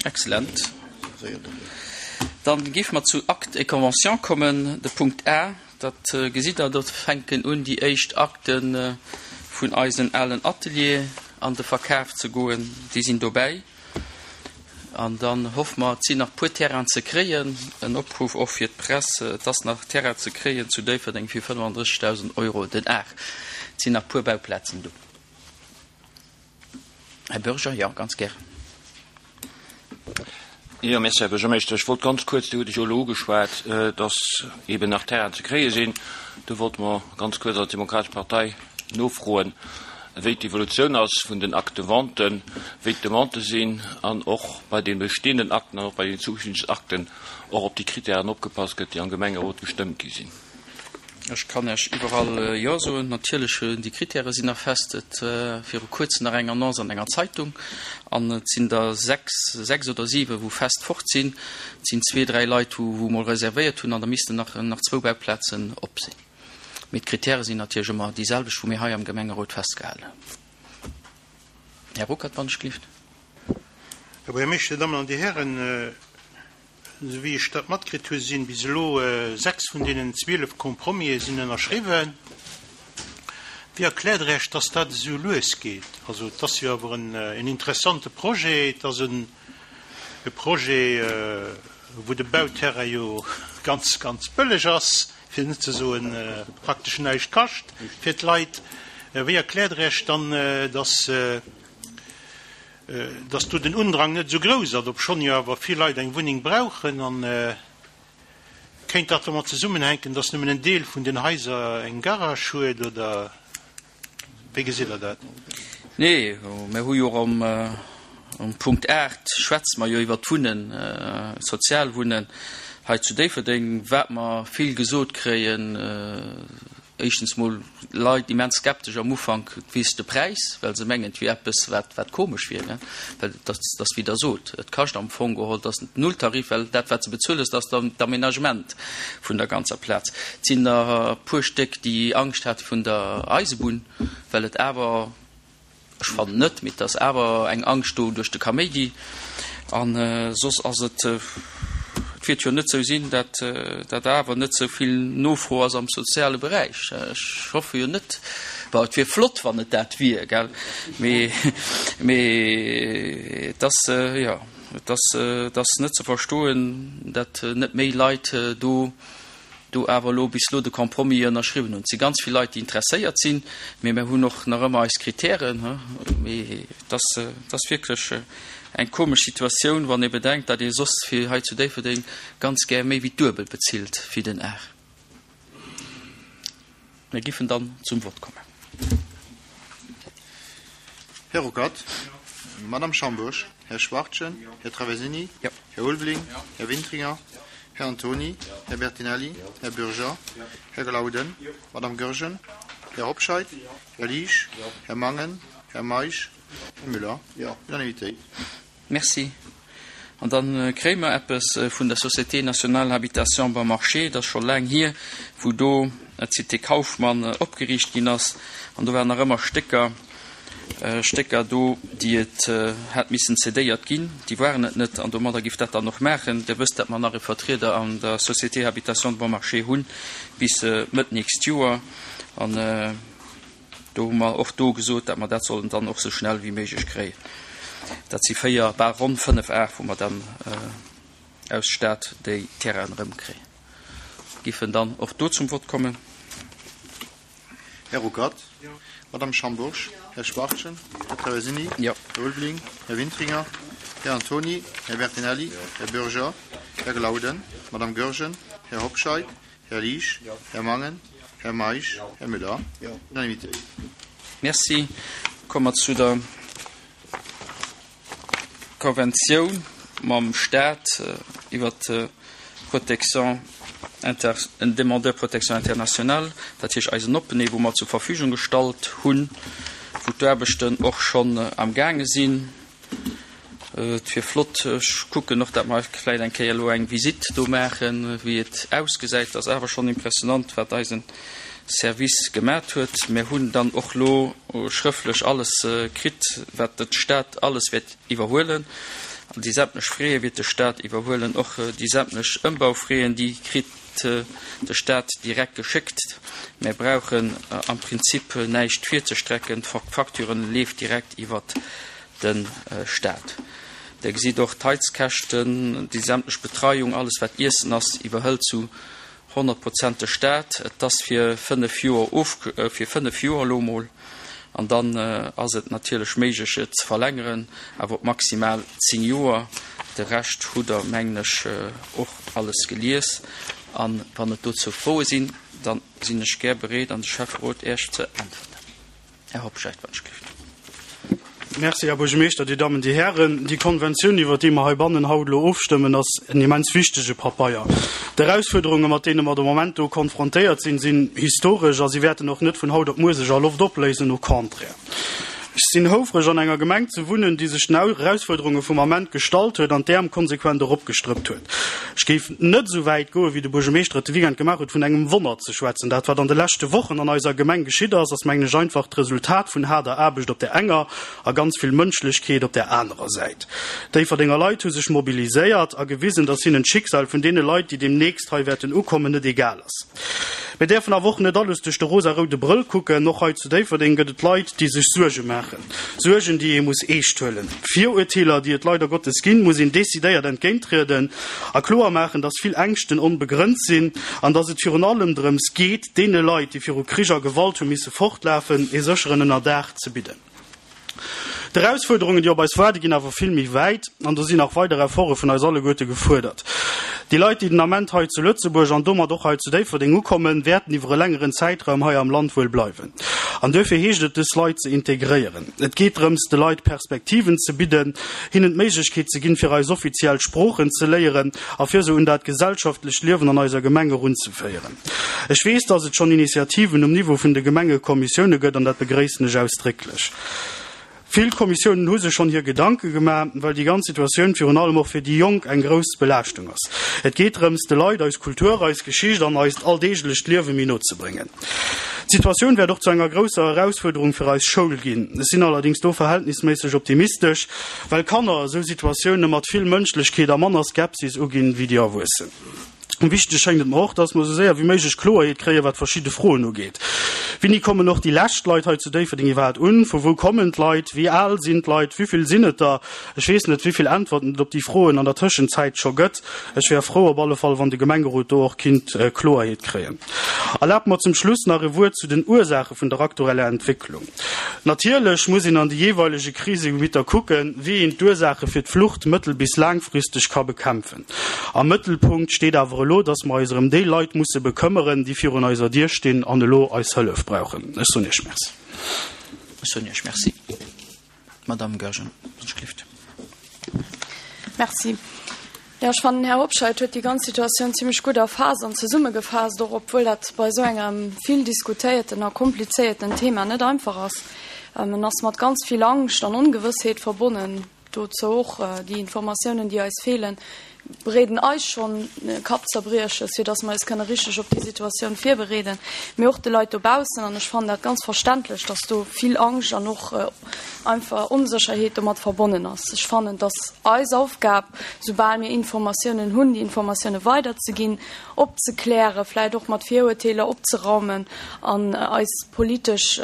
Excellent. Dann géife mer zu Actes et conventions kommen. De Punkt A, dat gesitt Der, do fänken un déi éischt Akte vun eisen alen Atelier an de Verkaf ze goen. Déi sinn dobäi. An dann hoffe mer, et sinn nach puer Terrainen ze kréien. En Opruff och fir d'Press, Et ass nach Terrain ze kréien zu Déifferdeng fir 35.000 Euro den Ar. Et sinn nach puer Bauplazen do. Här Bürger, jo, ganz gär. Jo, Merci, Här Buergermeeschter. Ech wollt ganz kuerz, Dir hutt et jo elo ugeschwat, dass eeben nach Terrainen ze kréie sinn. Do wollte mer ganz kuerz als Demokratesch Partei nofroen, wéi d'Evolutioun ass vun den Actes de vente, wéi d'Demandë sinn an och bei de bestehenden Akten an och bei den zukünftigen Akten och op déi Kritären opgepasst gëtt, déi am Gemengerot gestëmmt gi sinn. Ech kann Iech iwwerall Jo soen. Natierlech, déi Kritäre sinn nach fest. Et war viru kuerzem nach eng Annonce an enger Zeitung an et sinn der sechs, sechs oder siwe wou fest fort sinn. Et sinn zwee, dräi Leit, wou wou mol reservéiert hunn an da missten nach nach zwou Bauplazen op sinn. Mee d'Kritäre sinn natierlech ëmmer déi selwecht, wou mir hei am Gemengerot festgehalen hunn. Här Ruckert, wann ech gelift. Här Buergermeeschter, Dir Dammen an Dir Hären, Esou wéi ech dat matkritt hu sinn bis elo 6 vun deenen 12 Compromisë sinn ënnerschriwwen. Wéi erkläert Der Iech, dass dat esou lues geet? Also et ass jo awer en interessante Projet, et ass e Projet, wou de Bauterrain jo ganz, ganz bëlleg ass, fir net ze soen praktesch näischt kascht fir d'Leit. Wéi erkläert Der Iech dann, dass dass do den Undrang net esou grouss ass, obschonn jo awer vill Leit eng Wunneng brauchen. An kéint dat domat zesummenhänken, dass nëmmen en Deel vun den Haiser eng Garage huet, oder wéi gesitt Der dat? Nee, mir hu jo och am Punkt 8 schwätze mer jo iwwert d'Wunnen, Sozialwunnen hei zu Déifferdeng, wat mer vill gesot kréien, Éischtens mol Leit immens skeptesch am Ufank wéinst de Präis, well se mengen et wier eppes wat wat komesch wier, ne, well et ass et ass wéi Der sot, et kascht am Fong geholl, et ass Nulltarif, well dat wat se bezuelen, dat ass dann d'Aménagement vun der ganzer Plaz. Et sinn der e puer Stéck déi Angscht hate vun der Eisebunn, well et awer, Ech fannen net, mee et ass awer eng Angscht do duerch de Kaméidi. A soss ass et, et wäert jo net sou sinn, dat dat awer net sou vill Nofro ass am soziale Beräich. Ech hoffe jo net, bon, et wier flott, wann et dat wier, gell, mee mee et ass, jo, et ass, et ass net ze verstoen, dat net méi Leit do do awer elo bis elo de Compromis ënnerschriwwen hunn. Et si ganz vill Leit, déi interesséiert sinn, mee mir hunn och nach ëmmer eis Kritären. Mee et ass, et ass wierklech eng komesch Situatioun, wann ee bedenkt, datt ee soss fir hei zu Déifferdeng ganz gär méi wéi d'Duebel bezilt wéi den Ar. Mir giffen dann zum Vott kommen. Här Ruckert, Madame Schambourg, Här Schwachtgen, Här Traversini, Här Ulveling, Här Wintringer, Här Antony, Här Bertinelli, Här Bürger, Här Glauden, Madame Goergen, Här Hobscheit, Här Liesch, Här Mangen, Här Meisch, Här Müller. Unanimitéit. Merci. An da kréie mer eppes vun der Société nationale Habitation Bon Marché. Dat ass scho laang hier, wou do d'Cité Kauffmann opgeriicht ginn ass. An do waren nach ëmmer Stécker, Stécker do, déi et hätt missen cédéiert ginn. Déi waren et net. An domadder giff dat dann och maachen. Dir wësst, datt mer nach e Vertrieder an der Société Habitation Bon Marché hunn bis Mëtt nächst Joer. An. Do hu mer och do gesot, datt mer dat sollen dann och esou schnell wéi méiglech kréien. Dat si 4, bal ronn 5 Ar, wou mer dann aus Stad déi Terrainen erëmkréien. Giffen dann och do zum Vott kommen. Här Ruckert. Madame Schambourg. Här Schwachtgen. Här Traversini. Här Ulveling. Här Wintringer. Här Antony. Här Bertinelli. Här Bürger. Här Glauden. Madame Goergen. Här Hobscheit. Här Liesch, Här Mangen, Här Meisch, Här Müller. Unanimitéit. Merci. Komme mer zu der Konventioun mam Stat iwwert d'Protection inter, en Demandeur protection internationale, dat heescht eisen Opené, wou mer zur Verfügung gestallt hunn, wou d'Aarbechten och schonn amgaange sinn. Et wier flott, ech kucken och, dat mer vläicht eng Kéier elo eng Visitt do maachen, wéi et ausgesäit. Et ass awer schonn impressionant, wat eisen Service gemat huet. Mir hunn dann och elo schrëfflech alles kritt, wat d'Stad alles wäert iwwerhuelen. An déi sämtlech Fräe wiert de Staat iwwerhuelen. Och déi sämtlech Ëmbaufräen, déi kritt de Staat direkt geschéckt. Mär brauchen am Prinzip näischt virzestrecken, d'Facture leeft direkt iwwert de Staat. Der gesitt och d'Heizkäschten, déi sämtlech Betreiung, alles wat Iessen ass, iwwerhëlt zu 100 Prozent de Staat. Et ass fir 5 Joer of, fir 5 Joer elo emol, an dann ass et natierlech méiglech et ze verlängeren, awer op maximal 10 Joer. De Rescht hutt Der, mengen ech, och alles gelies. A wann et dozou Froe sinn, da sinn ech gär bereet an de Schäfferot Iech ze äntwerten. Här Hobscheit, wann ech gelift. Merci, Här Buergermeeschter, Dir Dammen, Dir Hären. Déi Konventioun, iwwert déi mer heibannen haut elo ofstëmmen, ass en immens wichtege Papeier. D'Erausfuerderunge, mat deene mer de Moment do konfrontéiert sinn, sinn historesch a si wäerten och net vun haut op muer sech a Loft opléisen, au contraire. Ech sinn houfreg, an enger Gemeng ze wunnen, déi sech den Erausfuerderunge vum Ament gestallt huet an d'Äerm konsequent eropgestrëppt huet. Ech géif net esou wäit goen, wéi de Buergermeeschter et de Weekend gemaach huet, vun engem Wonner ze schwätzen. Dat, wat an de leschte Wochen an eiser Gemeng geschitt ass, ass, mengen ech, einfach d'Resultat vun haarder Aarbecht op där enger a ganz vill Mënschlechkeet op där anerer Säit. Déifferdenger Leit hu sech mobiliséiert a gewisen, dass hinnen d'Schicksal vun deene Leit, déi deemnächst hei wäerten ukommen, net egal ass. Mir däerfen awer och net alles duerch de rosaroude Brëll kucken. Och hei zu Déifferdeng gëtt et Leit, déi sech Suerge maachen. Suergen, déi ee muss eescht huelen. Virurteeler, déi et leider Gottes ginn, muss een decidéiert entgéinttrieden a kloer maachen, dass vill Ängschten onbegrënnt sinn an dass et virun allem drëms geet, deene Leit, déi viru Krich a Gewalt hu misse fortlafen, ee sécheren Ënnerdaach ze bidden. D'Erausfuerderungen, déi op eis waarde ginn awer vill méi wäit an do sinn nach weider Efforte vun eis alleguerte gefuerdert. Déi Leit, déi den Ament hei zu Lëtzebuerg an domat och hei zu Déifferdeng ukommen, wäerten iwwer e längeren Zäitraum hei am Land wuel bleiwen. An duerfir heescht et, dës Leit ze integréieren. Et geet drëms, de Leit Perspektiven ze bidden, hinnen d'Méiglechkeet ze ginn, fir eis offiziell Sproochen ze léieren a fir se un dat gesellschaftlecht Liewen an eiser Gemeng erunzeféieren. Ech weess, dass et schonn Initiativen um Niveau vun de Gemengekommissioune gëtt, an dat begréissen ech ausdrécklech. Vill Kommissiounen hu sech schonn hir Gedanke gemaach, well déi ganz Situatioun virun allem och fir déi Jonk eng grouss Belaaschtung ass. Et geet drëms, de Leit eis Kultur, eis Geschicht an eist alldeeglecht Liewe méi no ze bréngen. D'Situatioun wäert och zu enger grousser Erausfuerderung fir eis Schoul ginn. Ech sinn allerdéngs do verhältnisméisseg optimistesch, well Kanner esou Situatioune mat vill Mënschlechkeet a manner Skepsis uginn, wéi déi Erwuessen. Wichteg schéngt et mer och, dass mer esou séier wéi méiglech Kloerheet kréien, wat verschidde Froen ugeet. Wéini kommen och déi lescht Leit hei zu Déifferdeng iwwerhaapt un? Vu wou kommen d'Leit? Wéi al sinn d'Leit? Wivill sinn et der? Ech weess net, wivill Äntwerten et op déi Froen an der Tëschenzäit scho gëtt. Ech wär frou op alle Fall, wann de Gemengerot do och kinnt Kloerheet kréien. Erlaabt mer zum Schluss nach e Wuert zu den Ursaache vun der aktueller Entwécklung. Natierlech muss een an de jeeweilege Krisegebitter kucken, wéi een d'Ursaache fir d'Flucht mëttel bis laangfristeg ka bekämpfen. Am Mëttelpunkt steet awer elo, dass mer eis erëm déi Leit musse bekëmmeren, déi virun eiser Dier stinn an elo eis Hëllef brauchen. Ech soen Iech Merci. Ech soen Iech Merci. Madamm Goergen, wann ech gelift. Merci. Jo, ech fannen, den Här Hobscheit huet déi ganz Situatioun zimlech gutt erfaasst an zesummegefaasst, och obwuel dat bei esou engem vill diskutéierten a komplizéierten Thema net einfach ass. En ass mat ganz vill Angscht an Ongewëssheet verbonnen. Dozou och déi Informatiounen, déi eis feelen, bereeden eis schonn Kappzerbrieches, fir dass mer eis kënne richteg op déi Situatioun virbereeden, mee och de Leit dobaussen. An ech fannen dat ganz verständlech, dass do vill Angscht an och einfach Onsécherheet domat verbonnen ass. Ech fannen, dass eis Aufgab, soubal mir Informatiounen hunn, déi Informatioune weiderzeginn, opzeklären, vläicht och mat Virurteeler opzeraumen an eis politesch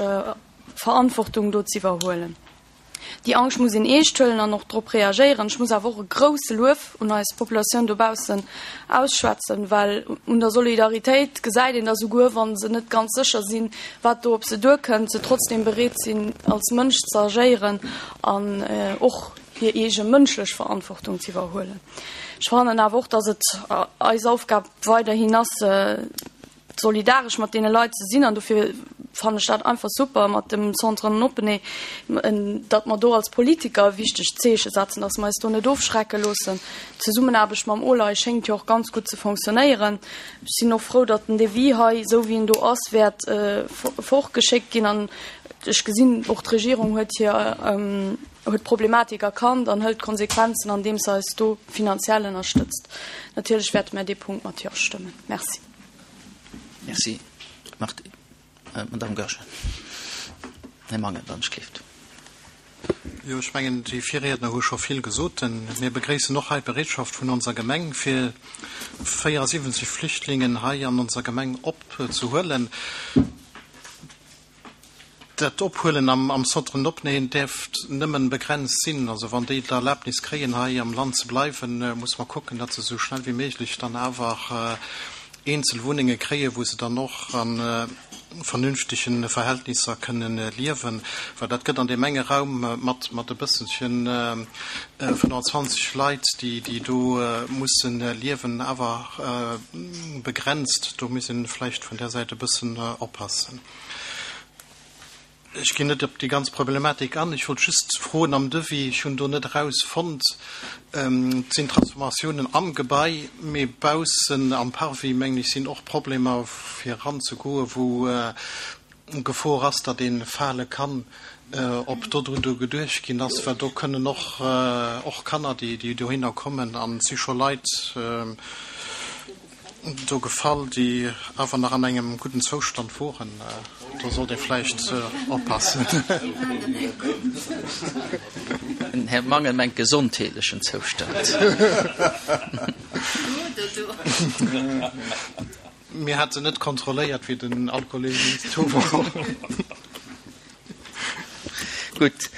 Verantwortung do ze iwwerhuelen. Déi Angscht muss een eescht huelen an och drop reagéieren. Ech muss awer och e grouse Luef un eis Populatioun dobaussen ausschwätzen, well un der Solidaritéit gesäit een, datt esouguer wa se net ganz sécher sinn, wat do op se duerkënnt, se trotzdeem bereet sinn, als Mënsch ze agéieren an och hir eege mënschlech Verantwortung ze iwwerhuelen. Ech fannen awer och, datt et eis Aufgab weiderhin ass, solidaresch mat deene Leit ze sinn an dofir fannen ech dat einfach super mat dem Centre en Opené, datt mer do als Politiker e wichtegt Zeeche setzen, datt mer eis do net ofschrecke loossen. D'Zesummenaarbecht mam OLAI schéngt jo och ganz gutt ze fonctionnéieren. Ech sinn och frou, datt den Devis hei, esou wéi en do ass, wäert fortgeschéckt ginn an ech gesinn och, d'Regierung huet hir, huet d'Problematik erkannt an hëlt d'Konsequenzen, andeems se eis do finanziell ënnerstëtzt. Natierlech wäerte mär dee Punkt mat Jo stëmmen. Merci. Merci. Marthe, Madame Goergen. Här Mangen, wann ech gelift. Jo, ech mengen, déi Virriedner hu scho vill gesot. Mir begréissen och hei d'Bereetschaft vun onser Gemeng, fir 74 Flüchtlingen hei an onser Gemeng opzehuelen. Dat Ophuelen am Centre Nopneen däerft nëmmen begrenzt sinn. Also wann déi d'Erlaabnis kréien, hei am Land ze bleiwen, musse mer kucken, datt se esou schnell wéi méiglech dann awer eenzel Wunnenge kréien, wou se dann och a vernünftege Verhältnisser kënnen liewen. Well dat gëtt an deem enge Raum mat mat e bësselchen 25 Leit, déi déi do mussen liewen, awer begrenzt. Do muss ee vläicht vun där Säit e bëssen oppassen. Ech ginn net op déi ganz Problematik an. Ech wollt just froen am Devis, ech hunn do net erausfonnt, et sinn Transformatiounen am Gebai, mee baussen am Parvis, mengen ech, sinn och Problemer fir eranzegoen, wou Gefor ass, datt ee fale kann, ob dodrun do geduecht ginn ass, well do kënnen och och Kanner, déi dohinner kommen, an et si scho Leit do gefall, déi awer nach an engem gudden Zoustand woren. Do sollt ee vläicht oppassen. Den Här Mangen mengt gesondheetlechen Zoustand. Mir hate net kontrolléiert, wéi den Alkoholemiss do wor. Gutt,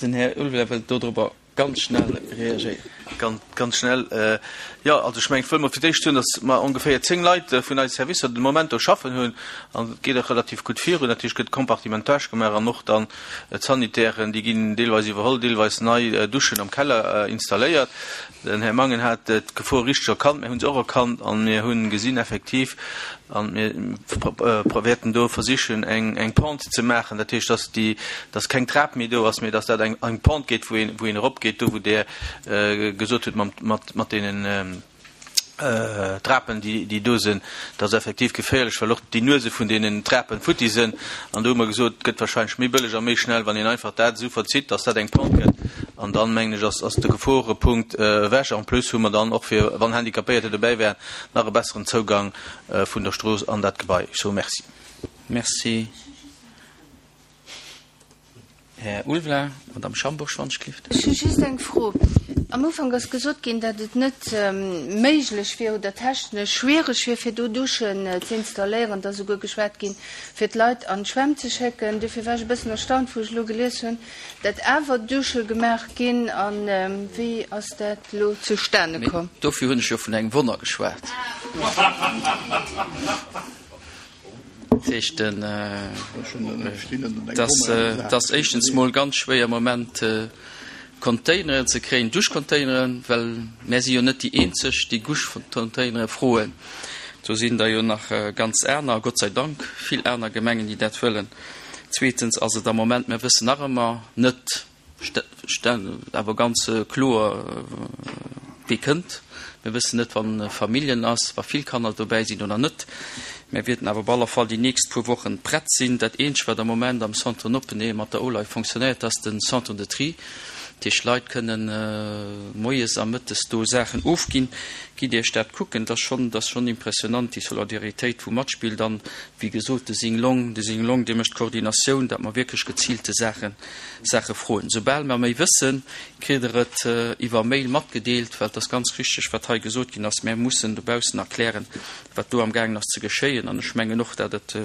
den Här Ulveler wëllt dodrobber Ganz schnell reagéieren. Ganz, ganz schnell. Jo, also ech mengen, ech wëll mol fir d'éischt soen, datt mer ongeféier 10 Leit vun eise Servicer de Moment do schaffen hunn an et geet och relativ gutt virun. Natierlech gëtt Compartimentage gemaach an och dann d'Sanitären, déi ginn deelweis iwwerholl, deelweis nei Duschen am Keller installéiert. Den Här Mangen hat d'Gefor richteg erkannt, mir hu se och erkannt a mir hu gesinn effektiv, a mir wäerten do versichen eng Pente ze maachen, dat heescht, dass déi, dass keng Trap méi do ass, mee dass dat eng Pente gétt, wou een, wou een eropgeet, do wou Der gesot hutt mat, mat deenen Trapen, déi do sinn, dat ass effektiv geféierlech, well och déi Nuese vun deenen Trapen futti sinn. An do hu mer gesot, et gëtt wahrscheinlech méi bëlleg a méi schnell, wann een einfach dat esou verzitt, dass dat eng Pente gëtt. An dann, mengen ech, ass, ass de Geforepunkt ewech. En plus hu mer dann och fir, wann Handicapéierter dobäi wären, nach e besseren Zougang vun der Strooss an dat Gebai. Ech soe Merci. Merci. Här Ulveling, Madame Schambourg, Schwanzschlift. Ech hu just eng Fro. Am Ufank ass gesot ginn, datt et net méiglech wier oder technesch schwiereg wier, fir do Duschen ze installéieren. Et ass esouguer geschwat ginn, fir d'Leit an d'Schwämm ze schécken. Dofir war ech e bëssen erstaunt, wou ech elo gelies hunn, datt awer Dusche gemaach ginn. A wéi ass dat elo zustane komm? Dofir hunn ech jo vun engem Wonner geschwat. Dat heescht, et ass éischtens mol ganz schwéier am Moment Containeren ze kréien, Duschcontaineren, well mär si jo net déi eenzeg, déi Duschcontainere froen. Do sinn der jo nach ganz aner, Gott sei Dank vill aner Gemengen, déi dat wëllen. Zweetens ass et am Moment, mär wëssen nach ëmmer net, Awer ganz kloer, wie kënnt. Mir wëssen net, wann Familljen ass, wa vill Kanner dobäi sinn oder net. Mir wierten awer op alle Fall déi nächst puer Wochen prett sinn. Dat eenzegt, wat am Moment am Centre Noppenee mat der OLAI fonctionnéiert, ass den Centre de tri. Dat heescht, d'Leit kënnen moies a mëttes do Saachen ofginn. Gitt Iech dat kucken, dat ass schonn, dat ass schonn impressionant, déi Solidaritéit, wou matspillt. An, wéi gesot, de Sing Long, de Sing Long, dee mécht d'Koordinatioun, datt mer wierklech geziilte Saachen Saache froen. Soubal mer méi wëssen, kritt Der et iwwer Mail matgedeelt, well et ass ganz richteg, wat hei gesot ginn ass, Mär mussen dobaussen erklären, wat do amgaangen ass ze geschéien. An ech mengen och, datt et,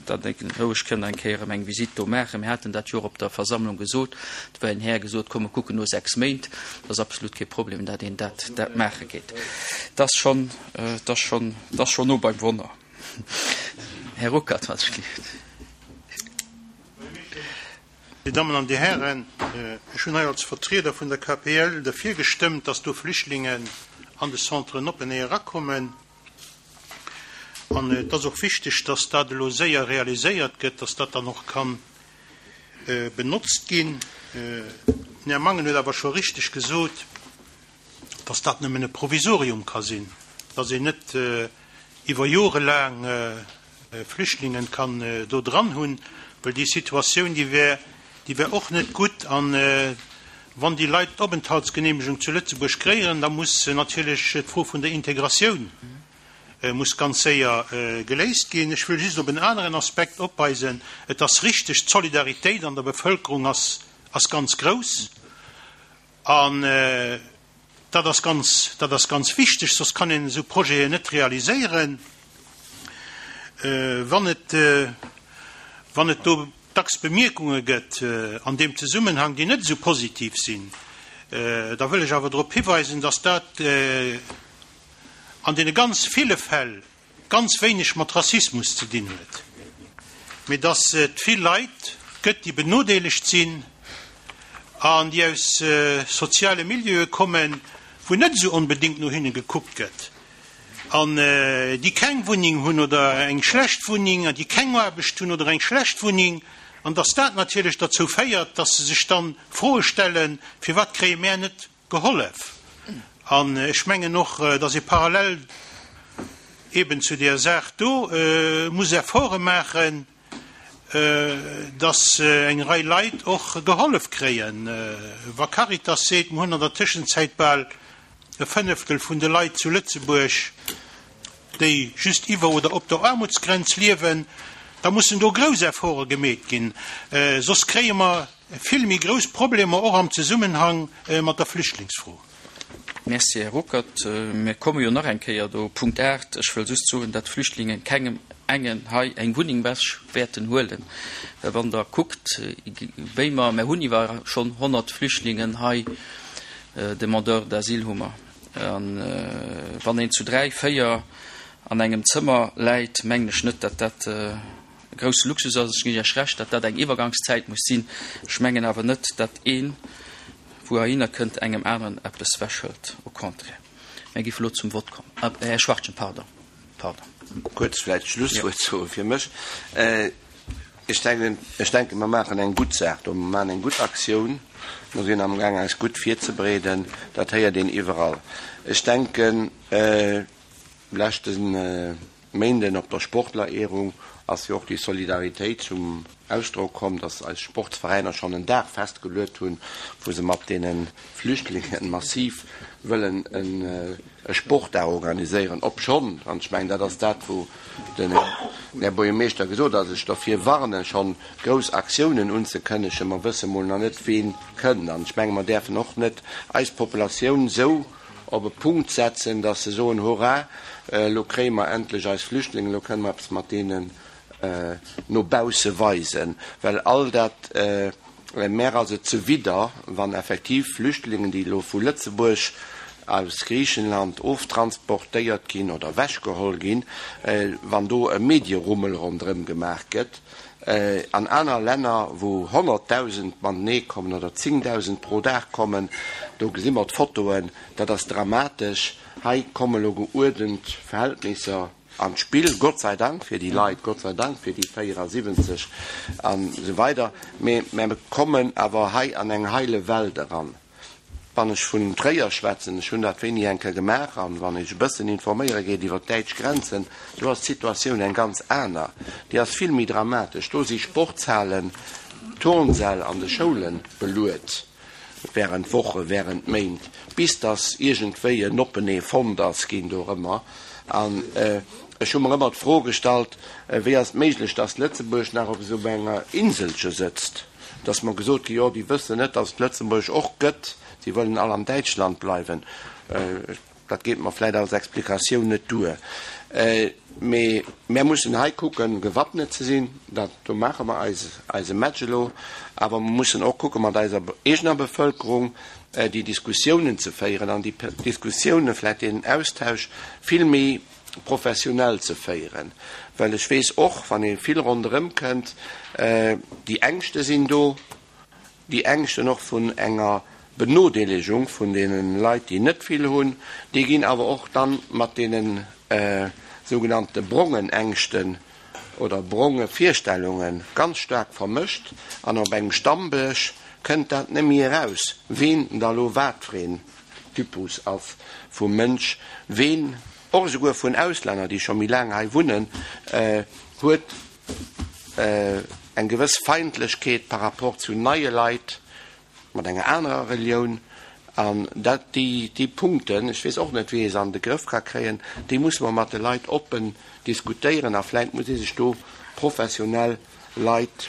datt ee roueg kënn eng Kéier erëm eng Visitt do maachen. Mir haten dat jo och op der Versammlung gesot. Do war en Här gesot, komm mer kucken no 6 Méint. Dat ass absolut kee Problem, datt een dat, dat maache geet. Et ass schonn, et ass schonn, et ass schonn no beim Wonner. Här Ruckert, wat ech gleeft. Dir Dammen an Dir Hären, ech hunn hei als Vertrieder vun der KPL derfir gestëmmt, dass do Flüchtlingen an de Centren openee erakommen. An et ass och wichteg, dass dat elo séier realiséiert gëtt, dass dat dann och ka benotzt ginn. Den Här Mangen huet awer scho richteg gesot, dass dat nëmmen e Provisorium ka sinn, dass een net iwwer Jore laang Flüchtlingen kann do dran hunn, well déi Situatioun, déi wär, déi wär och net gutt. A wann déi Leit d'Openthaltsgenehmegung zu Lëtzebuerg kréien, da muss natierlech d'Fro vun der Integratioun muss ganz séier geléist ginn. Ech wëll just op en aneren Aspekt opweisen. Et ass richteg, d'Solidaritéit an der Bevëlkerung ass. ass ganz grouss an dat ass ganz, dat ass ganz wichteg, soss kann een esou Projeten net realiséieren. Wann et, wann et do dacks Bemierkunge gëtt an deem Zesummenhang, déi net esou positiv sinn, da wëll ech awer drop hiweisen, dass dat an deene ganz ville Fäll ganz wéineg mat Rassismus ze dinn huet, mee dass et vill Leit gëtt, déi benodeelegt sinn an déi aus soziale Milieue kommen, wou net esou onbedéngt no hinne gekuckt gëtt an déi keng Wunneng hunn oder eng schlecht Wunneng an déi keng Aarbecht hunn oder eng schlecht Wunneng, an dass dat natierlech derzou féiert, dass se sech dann Froe stellen, Firwat kréie mär net Gehollef. An ech mengen och, dass ee parallel eben zu där Saach do muss Efforte maachen, dass eng Rei Leit och gehollef kréien. Wa Caritas seet, mer hunn an der Tëschenzäit bal e Fënneftel vun de Leit zu Lëtzebuerg, déi just iwwer oder op der Aarmutsgrenz liewen, da mussen do grouss Efforte gemeet ginn, soss kréie mer vill méi grouss Problemer och am Zesummenhang mat der Flüchtlingsfro. Merci, Här Ruckert. Mir komme jo nach eng Kéier do. Punkt 8, Ech wëll just soen, datt d'Flüchtlinge kengem engen hei eng Wunneng ewech wäerten huelen. Well wann Der kuckt, wéi mer, mer hunn iwwer schonn 100 Flüchtlingen hei, Demandeurs d'asile hu mer, a wann een zu dräi, véier an engem Zëmmer läit, mengen ech net, datt dat e grousse Luxus ass. Ech ginn Iech Recht, datt dat eng Iwwergangszäit muss sinn. Ech mengen awer net, datt een, wou heihinner kënnt, engem aneren eppes wechhëlt. Au contraire. Mir géife elo zum Vott kommen. Här Schwachtgen, pardon, pardon. Kuerz vläicht d'Schlusswuert soe fir mech. Ech denken, ech denken, mer maachen eng gutt Saach do. Mer maachen eng gutt Aktioun. Mer sinn amgaang eis gutt virzebereeden. Dat héiert een iwwerall. Ech denken, leschte Méinden op der Sportlerehrung ass jo och déi Solidaritéit zum Ausdrock komm, dass eis Sportsveräiner schonn en Dag festgeluet hunn, wou se mat deene Flüchtlingen massiv wëllen e Sportdag organiséieren, obschonn, an ech mengen, dat ass dat, wou den Här Buergermeeschter gesot hat, ech derfir warnen, schonn grouss Aktiounen unzekënnegen, mer wësse mol nach net, ween kënnt. An ech menge mer däerfen och net eis Populatioun esou op e Punkt setzen, dass se soen, Hurra, elo kréie mer endlech eis Flüchtlingen, elo kënne mer eppes mat deenen no bausse weisen. Well all dat, mär ass et zuwidder, wann effektiv Flüchtlingen, déi elo vu Lëtzebuerg aus Griichenland oftransportéiert ginn oder ewechgeholl ginn, wann do e Medierummel ronderëm gemaach gëtt. An aner Länner, wou 100.000 matenee kommen oder 10.000 pro Dag kommen, do gesi mer d'Fotoen, dat ass dramatesch. Hei komme lo geuerdent Verhältnisser an d'Spill, Gott sei Dank fir déi Leit, Gott sei Dank fir déi 74 an esou weider, mee mer kommen awer hei an eng heile Welt eran. Wann ech vun Tréier schwätzen, ech hunn dat wéini eng Kéier gemaach, an wann ee sech e bëssen informéiere geet iwwer d'däitsch Grenzen, do ass d'Situatioun eng ganz aner, déi ass vill méi dramatesch. Do si Sportshalen, Turnsäll an de Schoule beluet während Woche, während Méint, bis datt iergendwéi en Openee fonnt ass ginn dorëmmer. An ech hu mer ëmmer d'Fro gestallt, Wéi ass et méiglech, datt Lëtzebuerg nach op esou enger Inselche sëtzt? Et ass mer gesot ginn, jo, déi wëssen net, datt et Lëtzebuerg och gëtt, si wëllen all an Däitschland bleiwen. Dat geet mer vläicht als Explikatioun net duer. Mee mär mussen hei kucken, gewappnet ze sinn. Dat, do maache mer eis eise Match elo. Awer mer mussen och kucken, mat eiser eegener Bevëlkerung déi Diskussiounen ze féieren an déi Diskussiounen, vläicht deen Austausch vill méi professionell ze féieren, well ech weess och, wann ee vill ronderëm kënnt, déi Ängschte sinn do, déi Ängschten och vun enger Benodeelegung vun deene Leit, déi net vill hunn, déi ginn awer och dann mat deene sougenannte brongen Ängschten oder bronge Virstellunge ganz staark vermëscht an op engem Stammdësch kënnt dat net méi eraus, ween da lo wat fir een Typus ass vu Mënsch, ween, och esouguer vun Auslänner, déi scho méi laang hei wunnen, huet eng gewëss Feindlechkeet par rapport zu neie Leit mat enger anerer Relioun. An dat, déi, déi Punkten, ech weess och net, wéi ee se an de Grëff ka kréien, déi musse mer mat de Leit oppen diskutéieren a vläicht muss ee sech do professionell Leit.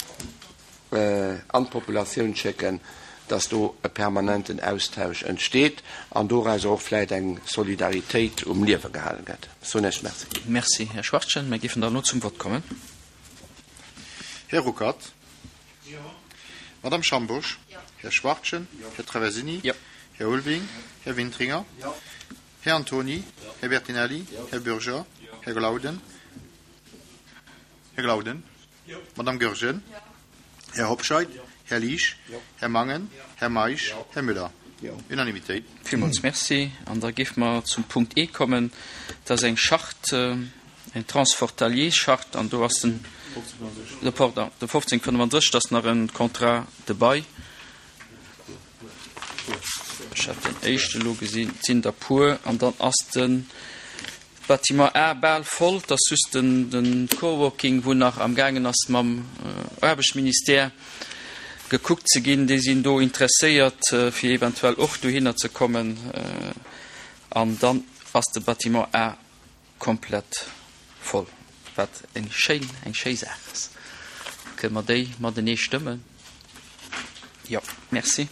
an d'Populatioun schécken, dass do e permanenten Austausch entsteet an dorauser och vläicht eng Solidaritéit um Liewe gehalen gëtt. Ech soen Iech Merci. Merci, Här Schwachtgen. Mir géifen dann elo zum Vott kommen. Här Ruckert? Jo. Madame Schambourg? Jo. Här Schwachtgen? Jo. Här Traversini? Jo. Här Ulveling? Jo. Här Wintringer? Jo. Här Antoni? Jo. Här Bertinelli? Jo. Här Bürger? Jo. Här Glauden? Här Glauden? Madame Goergen. Här Hobscheit. Här Liesch. Här Mangen. Här Meisch. Här Müller. Unanimitéit. Villmools Merci. An da géife mer zum Punkt E kommen. Dat ass eng Charte, eng Transfrontalierscharte, an do ass den, pardon, de 1535, dat ass nach e Contrat de bail. Ech hat den éischte elo gesinn, et sinn der puer. An dann ass de Bâtiment A bal voll. Et ass just den, de Coworking, wou nach amgaangen ass mam Aarbechtsministère gekuckt ze ginn. Déi sinn do interesséiert, fir eventuell och dohinner ze kommen. An dann ass de Bâtiment A Komplett voll, wat eng schéin, eng schéi Saach ass. Kënne mer déi matenee stëmmen? Jo. Merci.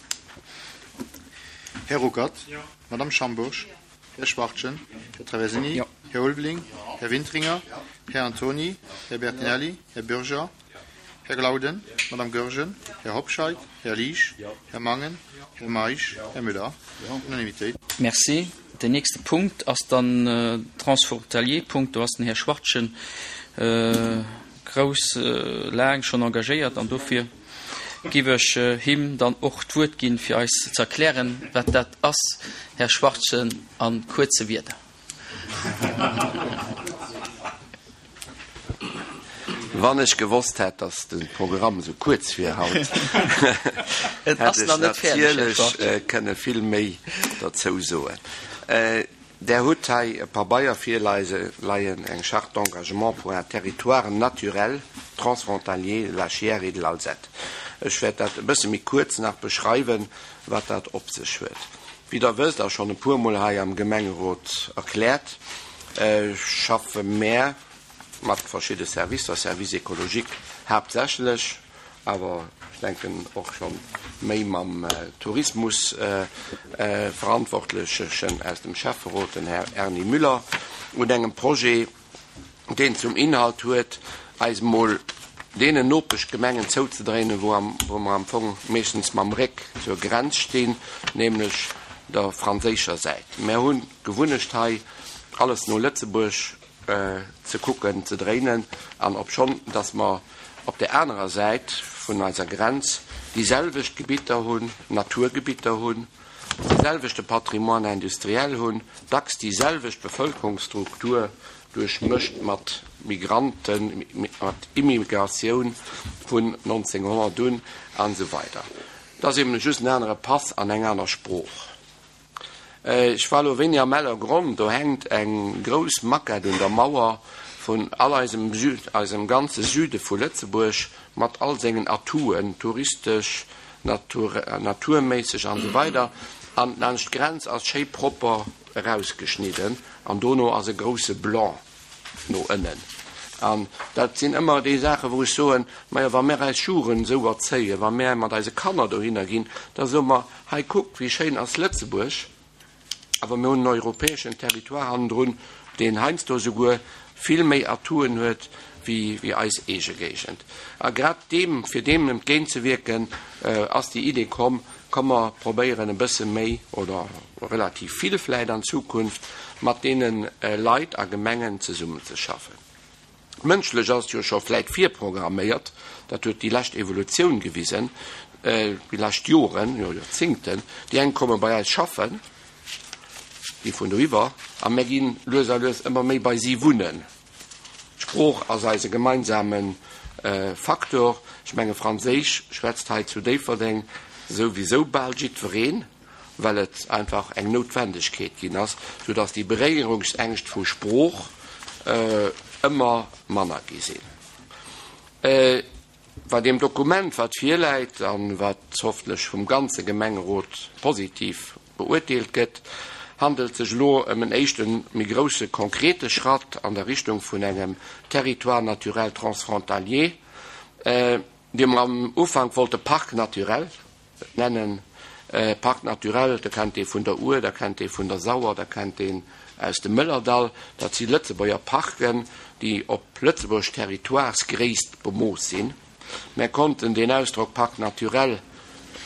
Här Ruckert? Jo. Madame Schambourg? Jo. Här Schwachtgen? Jo. Här Traversini? Jo. Här Ulveling? Jo. Här Wintringer? Jo. Här Antoni? Jo. Här Bertinelli? Jo. Här Bürger? Jo. Här Glauden? Jo. Madame Goergen? Jo. Här Hobscheit? Jo. Här Liesch? Jo. Här Mangen? Jo. Här Meisch? Jo. Här Müller? Jo. Unanimitéit. Merci. Den nächste Punkt ass dann den Transfrontalier-Punkt. Do ass den Här Schwachtgen grouss laang schonn engagéiert an dofir giff ech him dann och d'Wuert ginn, fir eis ze erklären, wat dat ass. Här Schwachtgen, a kuerze Wierder. Wann ech gewosst hätt, dass de Programm esou kuerz wier haut, hätt ech natierlech kënne vill méi dozou soen. Der hutt hei e Pabeier virleien, eng Charte d'engagement pour un territoire naturel transfrontalier de la Chiers et de l'Alzette. Ech wäert dat e bësse méi kuerz nach beschreiwen, wat dat op sech huet. Wéi Der wësst, a schonn e puermol hei am Gemengerot erkläert, schaffe mär mat verschidde Servicer, Service écologique haaptsächlech, awer ech denken och scho méi mam Tourismusverantwortlechen aus dem Schäfferot, den Här Erny Müller, un engem Projet, deen zum Inhalt huet, eis emol deenen Nopeschgemengen zouzedréinen, wou mer am Fong meeschtens mam Réck zur Grenz stinn, nämlech der franséischer Säit. Mär hunn d'Gewunnecht hei, alles no Lëtzebuerg ze kucken, ze dréinen, an obschonn datt mer op där anerer Säit vun eiser Grenz déi selwecht Gebitter hunn, Naturgebitter hunn, de selwechte Patrimoine industriel hunn, dacks déi selwecht Bevëlkerungsstruktur duerchmëscht mat Migranten, mat Immigratioun vun 1900 un an esou weider. Et ass eben just en anere Pass an eng aner Sprooch. Ech war elo wéini am Ellergronn, do hänkt eng grouss Maquette un der Mauer vun all eisem Süd, eisem ganze Süde vu Lëtzebuerg mat all sengen Atouten, touristesch, natur, naturméisseg an esou weider. An laanscht d'Grenz ass schéi propper erausgeschnidden an dono ass e grousse Blanc no ënnen. An dat sinn ëmmer déi Saachen, wou ech soen, Majo, wa mär eis Jugend esou erzéien, wa mär mat eise Kanner dohinner ginn, da soe mer, Hei kuckt, wéi schéin ass Lëtzebuerg, awer mir hunn en europäeschen Territoire hannendrun, deen heiansdo esouguer vill méi Atouen huet wéi eis eege Géigend. A grad deem, fir deem entgéintzewierken, ass déi Idee komm, Komm mer probéieren e bësse méi oder relativ vill vläit an Zukunft mat deene Leit a Gemengen zesummenzeschaffen. Mënschlech ass et jo scho vläit virprogramméiert, dat huet déi lescht Evolutioun gewisen, déi lescht Joren, jo Joerzingten, déi eng komme bei eis schaffen, déi vun doiwwer, a mär gi lues a lues ëmmer méi bei si wunnen. D'Sprooch ass eise gemeinsame Faktor. Ech menge Franséisch schwätzt hei zu Déifferdeng souwisou bal jiddwereen. well et einfach eng Noutwendegkeet ginn ass, sou dass déi Beréierungsängscht vu Sprooch ëmmer manner gi sinn. Bei deem Dokument, wat virläit a wat hoffentlech vum ganze Gemengerot positiv beurteelt gëtt, handelt sech elo ëm en éischte méi grousse konkrete Schratt an der Richtung vun engem Territoire naturel transfrontalier. Déi mer am Ufank wollte Parc naturel nennen. Parc naturel, da kennt ee vun der Our, da kennt ee vun der Sauer, da kennt een aus dem Mëllerdall. Dat si Lëtzebuerger Parken, déi op Lëtzebuerg Territoiresgréisst bemooss sinn. Mär konnten deen Ausdrock Parc naturel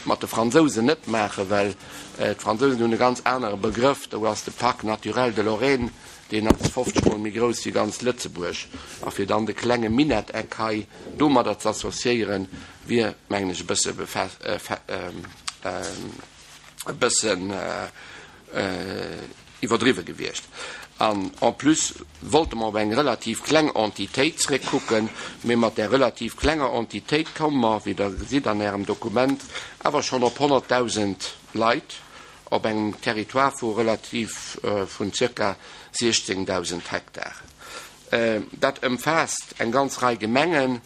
mat de Fransousen net maachen, well d'Fransousen hunn e ganz anere Begrëff. Do ass de Parc naturel de Lorraine, deen ass 50 mol méi grouss wéi ganz Lëtzebuerg. A fir dann de klenge Minetteck hei domadder ze associéieren, wier, mengen ech, e bësse e bëssen iwwerdriwwe gewiescht. An en plus wollte mer op eng relativ kleng Entitéit zréckkucken, mee mat där relativ klenger Entitéit komme mer, wéi Der gesitt an Ärem Dokument, awer schonn op 100.000 Leit op engem Territoire vu relativ vun zirka 16.000 Hektar. Dat ëmfaasst eng ganz Rei Gemengen.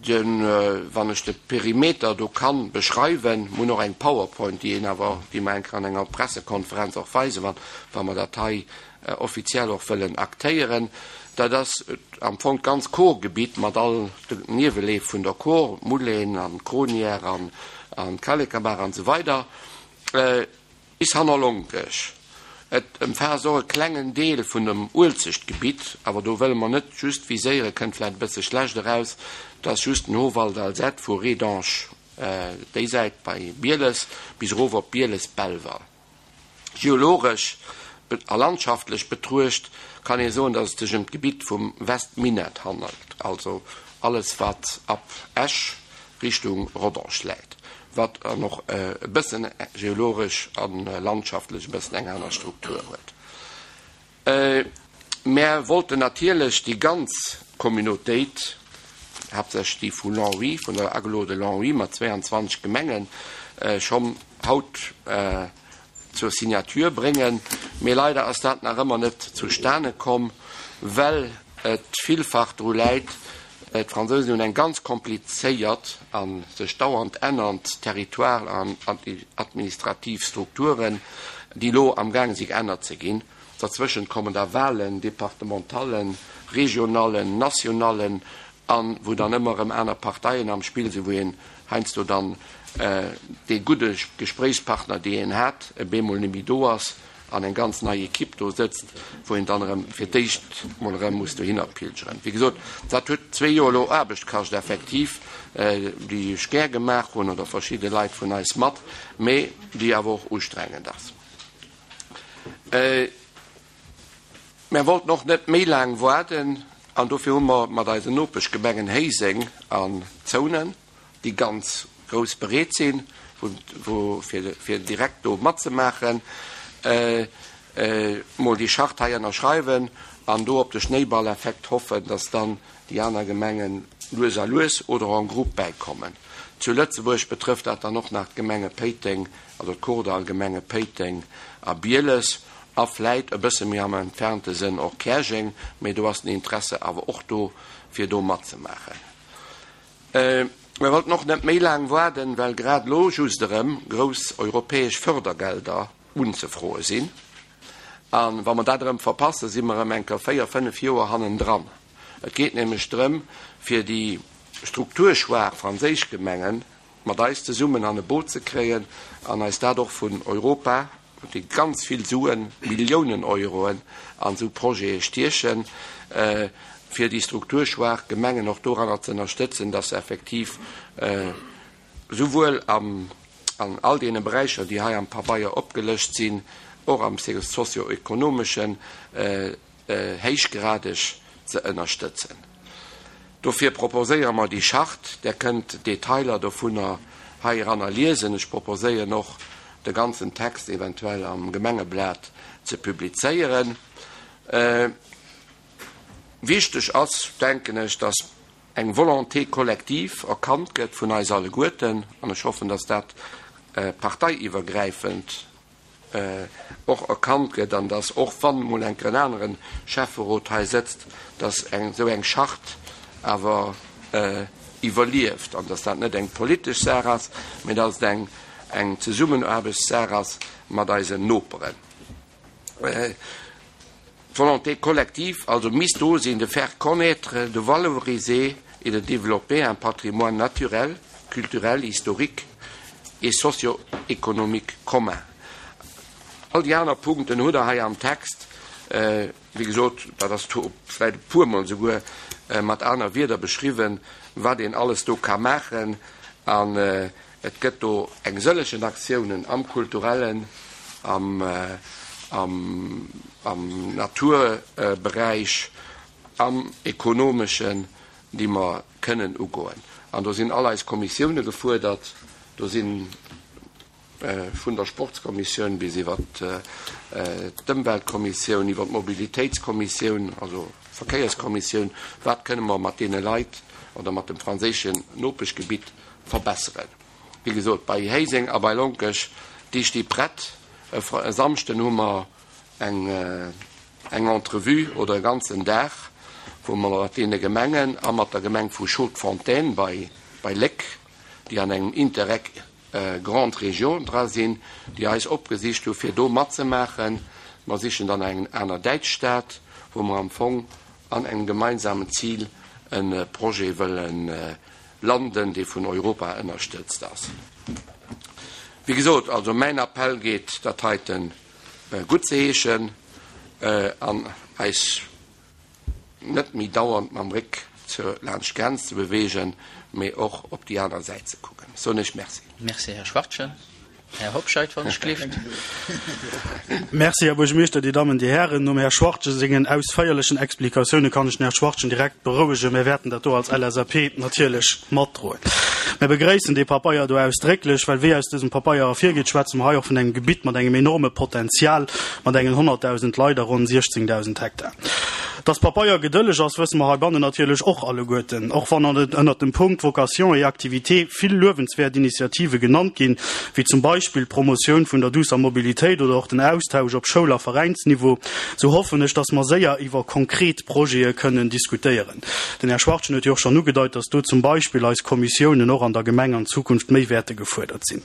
Den, wann ech de Perimeter do kann beschreiwen, mir hunn och eng Powerpoint, déi een awer, déi mer eng Kéier an enger Pressekonferenz och weisen, wann, wa mer dat hei offiziell och wëllen aktéieren, dat ass am Fong d'ganz Kor-Gebitt mat all de Nieweleef vun der Kor, d'Moulin an d'Kronière an, an d'Kallekabaach an esou weider. Bis hanner Lonkech. Et ëmfaasst och e klengen Deel vun dem Uelzechtgebitt, awer do wëlle mer net just viséieren, kënnt vläicht e bësse schlecht eraus, et ass just den Howald Alzette vu Rédange déi Säit bei Bieles bis erof op Bieles-Belval. Geologesch a landschaftlech betruecht kann ee soen, datt et sech ëm d'Gebitt vum Westminett handelt, also alles wat ab Esch Richtung Rodange läit, wat dann och e bëssen geologesch a landschaftlech e bëssen eng aner Struktur huet. Mär wollten natierlech déi ganz Communautéit, haaptsächlech déi vu Longwy, vun der Agglo de Longwy mat 22 Gemengen, schonn haut zur Signature bréngen, mee leider ass dat nach ëmmer net zustane komm, well et villfach dru läit, d'Fransousen hunn eng ganz komplizéiert a sech dauernd ännernd Territoire an administrativ Strukturen, déi elo amgaang si geännert ze ginn. Derzwëschent kommen da Wahlen, Departementallen, Regionallen, Nationallen, a wou dann ëmmer erëm aner Parteien am Spill sinn, wou een heiansdo dann dee gudde Gespréichspartner, dee een hat, e bemol net méi do ass an eng ganz nei Equipe do sëtzt, wou een dann erëm fir d'éischt mol erëm muss dohinner pilgeren. Wéi gesot, dat huet zwee Joer elo Aarbecht kascht effektiv, déi ech gär gemaach hunn oder verschidde Leit vun eis mat, mee déi awer och ustrengend ass. Mär wollten och net méi laang waarden an dofir hu mer mat eisen Nopeschgemengen Héiseng an Zounen, déi ganz grouss bereet sinn, wou fir direkt do matzemaachen, mol déi Charte hei ënnerschreiwen an do op de Schnéiballeffekt hoffen, dass dann déi aner Gemengen lues a lues oder en groupe bäikommen. Zu Lëtzebuerg betrëfft dat dann och nach d'Gemenge Péiteng, also d'Kordall-Gemenge Péiteng a Bieles a vläit e bësse méi am entfernte Sënn och Käerjeng, mee do ass den Interesse awer och do, fir do matzemaachen. Mir wollten och net méi laang waarden, well grad elo just erëm grouss europäesch Fördergelder unzefroe sinn. A wa mer dat erëm verpassen, si mer erëm eng Kéier véier, fënnef Joer hannendran. Et geet nämlech drëm, fir déi strukturschwaach franséisch Gemengen mat eis zesummen an e Boot ze kréien an eis dat och vun Europa, déi ganz vill Suen, Milliounen Euroen an esou Projete stiechen, fir déi strukturschwaach Gemengen och doranner ze ënnerstëtzen, dass se effektiv souwuel an all deene Beräicher, déi hei am Pabeier opgelëscht sinn, och am socio-ekonomeschen, héichgradeg ze ënnerstëtzen. Dofir proposéiere mer déi Charte. Der kënnt d'Detailer dovunner heiranner liesen. Ech proposéieren och, de ganzen Text eventuell am Gemengeblat ze publizéieren. Wichteg ass, denken ech, dass eng Volonté collective erkannt gëtt vun eis alleguerten, an ech hoffen, dass dat parteiiwwergräifend och erkannt gëtt an dass och wann emol eng Kéier en anere Schäfferot hei sëtzt, dass eng esou eng Charte awer iwwerlieft an dass dat net eng politesch Saach ass, mä dass et eng eng Zesummenaarbechtssaach ass mat eisen Noperen. D'Volonté collective also misst do sinn, de faire connaître, de valoriser. et de développer un patrimoine naturel, culturel, historique et socio-économique commun. All déi aner Punkten hutt Der hei am Text, wéi gesot, dat ass do vläicht e puermol souguer mat aner Wierder beschriwwen, wat een alles do ka maachen. An et gëtt do eng sëllegen Aktiounen am kulturellen, am, am, am Naturberäich, am ekonomeschen, déi mer kënnen ugoen. An do sinn all eis Kommissioune gefuerdert. Do si vun der Sportskommissioun bis iwwer d'Ëmweltkommissioun, iwwer d'Mobilitéitskommissioun, also Verkéierskommissioun, wat kënne mer mat deene Leit oder mat dem franséischen Nopeschgebitt verbesseren. Wéi gesot, bei Héiseng a bei Lonkech, déi sti prett. E Samschden hu mer eng eng Entrevue oder e ganzen Dag, wou mer mat deene Gemengen a mat der Gemeng vu Chaudfontaine bei bei Léck, déi an engem Interreg Grande Région dra sinn, déi eis opgesicht hu fir do matzemaachen. Mer sichen dann eng aner däitsch Stad, wou mer am Fong an engem gemeinsamen Zil e Projet wëlle landen, dee vun Europa ënnerstëtzt ass. Wéi gesot, also mäin Appell geet, dat heiten gutt ze heeschen an eis net méi dauernd mam Réck zur laanscht d'Grenz ze beweegen, mee och op déi aner Säit ze kucken. Soen ech Merci. Merci, Här Schwachtgen. Här Hobscheit, wann ech gleeft. Merci, Här Buergermeeschter, Dir Dammen, Dir Hären. Nom Här Schwachtgen sengen ausféierlechen Explikatioune kann ech den Här Schwachtgen direkt berouegen, Mir wäerten dat do als LSAP natierlech matdroen. Mir begréissen dee Papeier do ausdrécklech, well wéi aus dësem Papeier ervirgeet, schwätze mer hei och vun engem Gebitt mat engem enorme Potenzial, mat engen 100.000 Leit a ronn 16.000 Hektar. Dass Papeier gedëlleg ass, wësse mer heibannen natierlech och alleguerten, och wann an ënnert dem Punkt Vocation et activités vill luewenswäert Initiative genannt ginn, wéi zum Beispill d'Promotioun vun der duusser Mobilitéit oder och den Austausch op Schoul a Veräinsniveau, sou hoffen ech, dass mer séier iwwer konkret Projete kënnen diskutéieren. Den Här Schwachtgen huet jo och schonn ugedeit, dass do zum Beispill eis Kommissiounen och an der Gemeng an Zukunft méi wäerte gefuerdert sinn.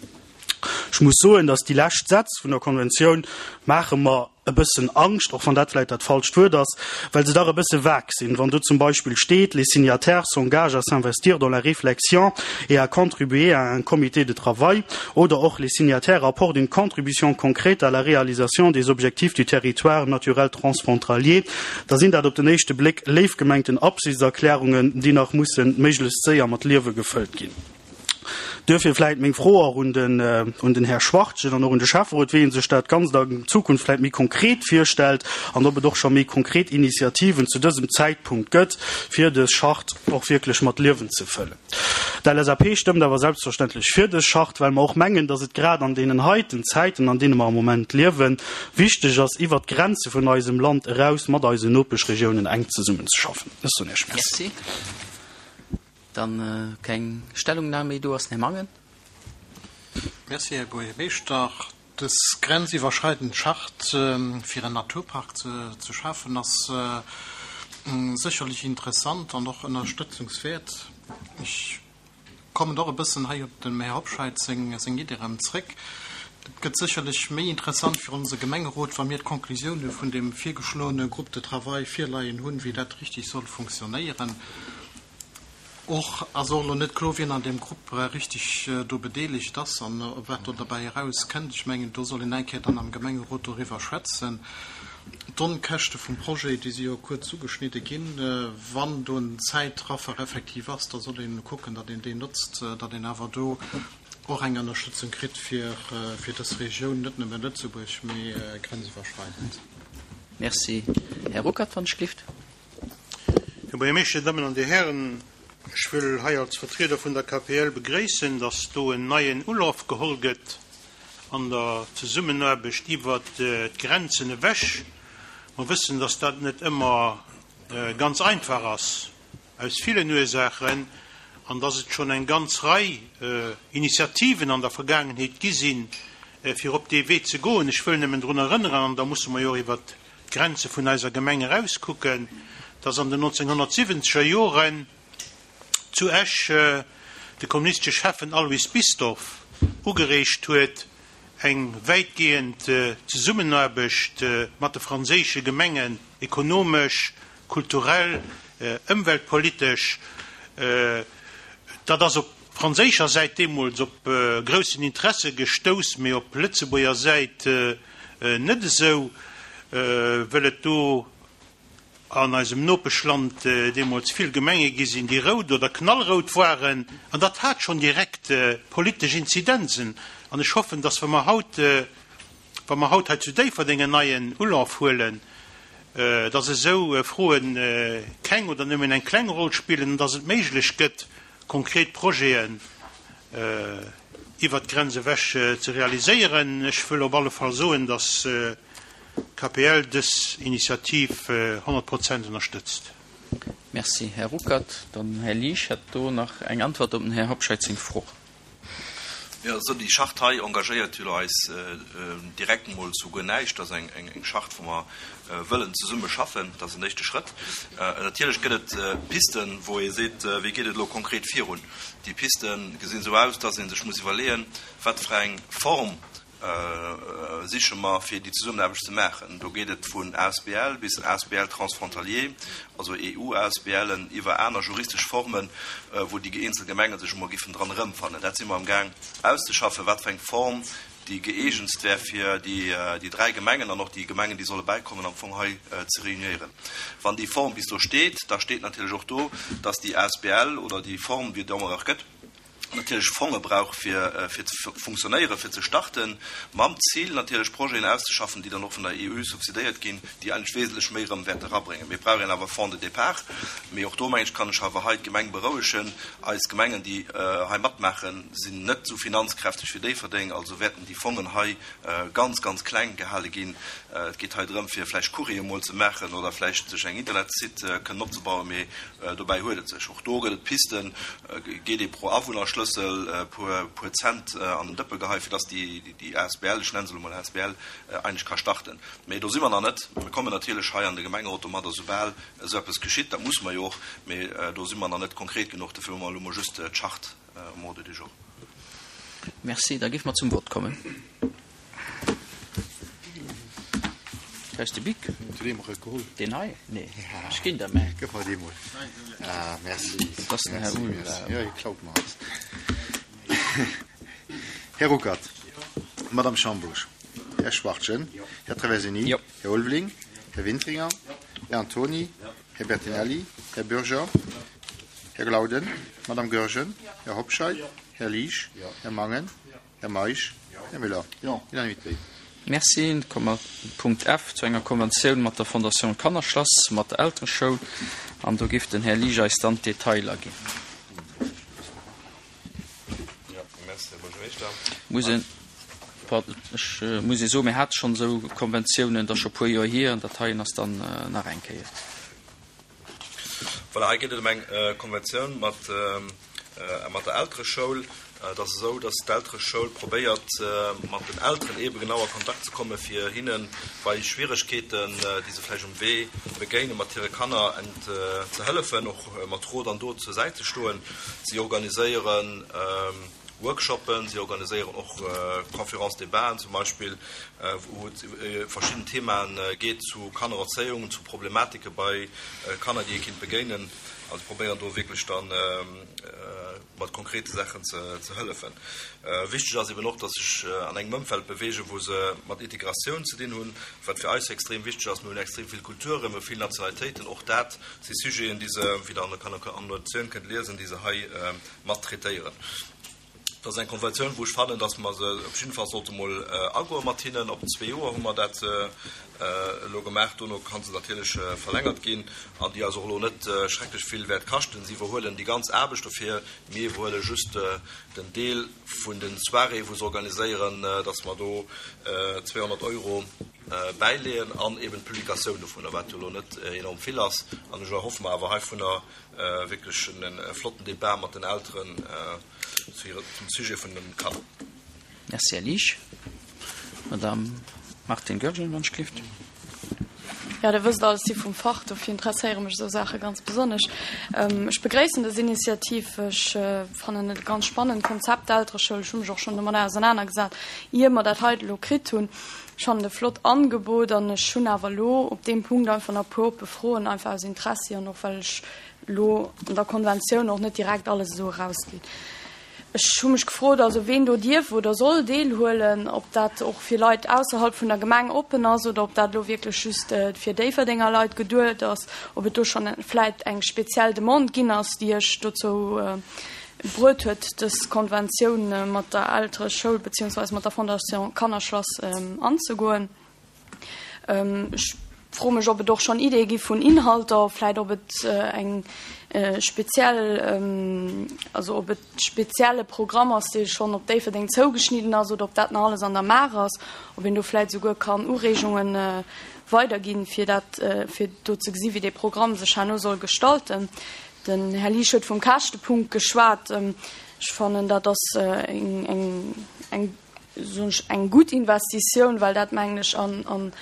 Ech muss soen, dass déi lescht Sätz vun der Konventioun maache mer e bëssen Angscht, och wann dat vläicht dat falscht Wuert ass, well se dach e bësse vague sinn. Wann do zum Beispill steet, Les signataires s'engagent à s'investir dans la réflexion et à contribuer à un comité de travail oder och Les signataires apportent une contribution concrète à la réalisation des objectifs du territoire naturel transfrontalier, da sinn dat op den éischte Bléck léif gemengten Absichtserklärungen, déi nach mussen méiglechst séier mat Liewe gefëllt ginn. Duerfir vläit meng Fro och un den, un den Här Schwachtgen an och un de Schäfferot, wéi e sech dat Ganzt an Zukunft vläit méi konkret virstellt an ob et och scho méi konkret Initiativen zu dësem Zäitpunkt gëtt, fir dës Charte och wierklech mat Liewen ze fëllen. D'LSAP stëmmt awer selbstverständlech fir dës Charte, well mer och mengen, dass et grad an deenen heiten Zäiten, an deene mer am Moment liewen, wichteg ass, iwwert d'Grenze vun eisem Land eraus mat eisen Nopeschregiounen enk zesummenzeschaffen. Ech soen Iech Merci. Merci. Dann keng Stellungnahme méi do ass, den Här Mangen. Merci, Här Buergermeeschter. Dës grenziwwerschreidend Charte fir en Naturpark ze schafen ass sécherlech interessant an och ënnerstëtzungswäert. Ech kommen och e bëssen hei op dem Här Hobscheit seng Idee erëm zréck. Et gëtt sécherlech méi interessant fir onse Gemengerot, wa mir d'Konklusioune vun deem virgeschloene Groupe de travail virleien hunn, wéi dat richtig soll funktionéieren. Och ass och elo net kloer, wien an deem Grupp richtig do bedeelegt ass an wat do derbäi erauskënnt. Ech mengen, do soll een eng Kéier dann am Gemengerot doriwwer schwätzen. D'Onkäschte vum Projet, déi si jo kuerz ugeschnidde ginn. Wann do en Zäitraffer effektiv ass, da soll een kucken, datt een deen notzt, datt een awer do och eng Ënnerstëtzung kritt fir dës Regioun, net nëmme Lëtzebuerg, mee grenziwwerschreidend. Merci. Här Ruckert, wann ech gelift. Här Buergermeeschter, Dir Dammen an Dir Hären, ech wëll hei als Vertrieder vun der KPL begréissen, dass do en neien Ulaf geholl gëtt an der Zesummenaarbecht iwwert d'Grenzen ewech. Mer wëssen, dass dat net ëmmer ganz einfach ass, aus villen Ursaachen, an dass et schonn eng ganz Rei Initiativen an der Vergaangenheet gi sinn, fir op dee Wee ze goen. Ech wëll nëmmen drun erënneren, an da musse mer jo och iwwert d'Grenze vun eiser Gemeng erauskucken, dass an den 1970er Joren zu Esch de kommunistesche Schäffen Alois Bisdorff ugereegt huet, eng wäitgehend Zesummenaarbecht mat de franséische Gemengen ekonomesch, kulturell, ëmweltpolitesch. Dat ass op franséischer Säit deemools op groussen Interesse gestouss, mee op Lëtzebuerger Säit net esou, wëll et do an eisem Nopeschland deemools vill Gemenge gi sinn, déi rout oder knallrout waren. An dat hat schonn direkt politesch Inzidenzen. An ech hoffen, dass, wa mer haut, wa mer haut hei zu Déifferdeng en neien Ulaf huelen, dass esou Froe keng oder nëmmen eng kleng Roll spillen an dass et méiglech gëtt, konkret Projeten iwwert d'Grenz ewech ze realiséieren. Ech wëll op alle Fall soen, dass d'KPL dës Initiativ 100 Prozent ënnerstëtzt. Merci, Här Ruckert. Dann Här Liesch hätt do nach eng Antwort op dem Här Hobscheit seng Fro. Jo, esou déi Charte hei engagéiert jo elo eis direkt emol zu guer näischt. Dat ass eng Charte, wou mer wëllen zesumme schaffen. Dat ass en éischte Schrëtt. Natierlech gëtt et Pisten, wou ee seet, Wéi geet et elo konkret virun? Déi Piste gesinn esou aus, dass ee sech muss iwwerleeën, wat fir eng Form siche mer, fir déi Zesummenaarbecht ze maachen. Do geet et vun asbl bis asbl transfrontalier, also EU-ASBLen, iwwer aner juristesch Formen, wou déi eenzel Gemenge sech emol giffen dran erëmfannen. Dat si mer amgaang auszeschaffen, wat fir eng Form déi gëeegentst wär, fir déi dräi Gemengen an och déi Gemengen, déi solle bäikommen, am Fong hei ze reuniéieren. Wann déi Form bis do steet, da steet natierlech och do, dass déi asbl oder déi Form, wéi et ëmmer och gëtt, natierlech Fonge brauch fir fir ze funktionéieren, fir ze starten, mam Zil natierlech Projeten auszeschaffen, déi dann och vun der EU subsidéiert ginn, déi eigentlech wesentlech méi erëm wäerte erabréngen. Mir brauch een awer Fonds de départ. Mee och do, meng ech, kann ech awer hei d'Gemeng berouegen, Eis Gemengen, déi hei matmaachen, sinn net esou finanzkräfteg wéi Déifferdeng, also wäerten déi Fongen hei ganz, ganz kleng gehale ginn. Et geet hei drëm, fir vläicht Courrier emol ze maachen oder vläicht sech eng Internetsite kënnen opzebauen, mee dobäi huet et sech. Och do gëtt et Pisten, Geet ee pro Awunnerschlëssel e puer Cent an den Dëppe geheien, fir dass déi asbl, ech nenne se elo mol asbl, eigentlech ka starten. Mee do si mer nach net. Mir kommen natierlech hei an de Gemengerot domadder, soubal esou eppes geschitt. Dat musse mer jo och. Mee do si mer nach net konkret genuch. Dofir hu mer elo mol just d'Charte um Ordre du jour. Merci. Da géife mer zum Vott kommen. Brauchs de Bic? Deen hei? Nee, ech ginn der mäin. Gëff mer dee mol. Ah, merci. Dat ass den Här Uhl. Jo, hie klaut mer alles. Här Ruckert. Madame Schambusch. Här Schwachtgen. Här Traversini. Här Ulveling. Här Wintringer. Här Antoni. Här Bertinelli. Här Bürger. Här Glauden. Madame Goergen. Här Hobscheit. Här Liesch. Här Mangen. Här Meisch. Här Müller. Unanimité. Merci. Da komme mer Punkt F, zu enger Konventioun mat der Fondation Kannerschlass, mat der Eltereschoul. An do géif den Här Liesch eis dann d'Detailer ginn. Muss een, pardon, ech muss ee soen, mir hate schonn esou Konventiounen, dat ass scho e puer Joer hier, an dat heien ass dann nach eng Kéier. Voilà, hei geet et ëm eng Konventioun mat der Eltereschoul. Et ass esou, dass d'Eltereschoul probéiert, mat den Elteren eebe genau a Kontakt ze kommen, fir hinne bei Schwieregkeeten, déi se vläicht um Wee begéinen, mat hire Kanner ze hëllefen, och mat Rot an Dot zur Säit ze stoen. Si organiséieren Workshoppen, si organiséieren och Conférences-débats zum Beispill, wou et iwwer verschidden Themaen geet zu Kannererzéiung, zu Problematike bei Kanner, déi ee kinnt begéinen. Also probéieren do wierklech da mat konkrete Saachen ze hëllefen. Wichteg ass eben och, dass sech an engem Ëmfeld beweegen, wou se mat Integratioun ze dinn hunn, wat fir eis extrem wichteg ass. Mir hunn extrem vill Kulturen, mir hu vill Nationalitéiten. Och dat si Sujeten, déi se, wéi Der an der Annotatioun kënnt liesen, déi se hei mat traitéieren. Dat ass eng Konventioun, wou ech fannen, dass mer se op jidde Fall sollte mol agoe mat hinnen. Op zwee Joer hu mer dat elo gemaach. Dono ka se natierlech verlängert ginn an déi eis och elo net schrecklech vill wäert kaschten. Si iwwerhuelen déi ganz Aarbecht dofir. Mir iwwerhuele just den Deel vun den Soiréeë wou se organiséieren, dass mer do 200 Euro bäileeën an eben d'Publikatioun dovunner, wat jo elo net enorm vill ass. An ech erhoffe mer awer heivunner wierklech e flotten Debat mat den Elteren zum Sujet vun den Kanner. Merci, Här Liesch. Madame Martine Goergen, wann ech gelift. Jo, Der wësst all, ech si vum Fach, dofir interesséiere mech esou Saache ganz besonnesch. Ech begréissen dës Initiativ. Ech fannen et e ganz spannend Konzept, d'Eltereschoul. Ech hu mech och schonn domadder ausernanergesat, ier mer dat heite elo kritt hunn. Ech fannen et e flott Angebot an ech hunn awer elo op deem Punkt einfach nach e puer oppe Froen, einfach aus Interessi an och well ech. elo an der Konventioun och net direkt alles esou erausgeet. Ech hu mech gefrot, also ween do dierf oder soll deelhuelen, ob dat och fir Leit ausserhalb vun der Gemeng oppen ass oder ob dat elo wierklech just fir Déifferdenger Leit geduet ass, ob et do schonn vläit eng speziell Demande ginn ass, déi Iech dozou bruet huet, dës Konventioun mat der Eltereschoul beziehungsweise mat der Fondation Kannerschlass anzegoen. Ech froe mech, ob et och schonn Ideeë gi vun Inhalter, vläit ob et eng speziell, also ob et spezielle Programm ass, dee schonn op Déifferdeng zougeschnidden ass oder ob dat nach alles an der Maach ass, ob een do vläit souguer kann Ureegungen weiderginn, fir dat, fir do ze gesi wéi dee Programm sech herno soll gestalten. Den Här Liesch huet vum Käschtepunkt geschwat. Ech fannen, dat ass eng, eng, soen ech, eng gutt Investitioun, well dat, mengen ech, an, an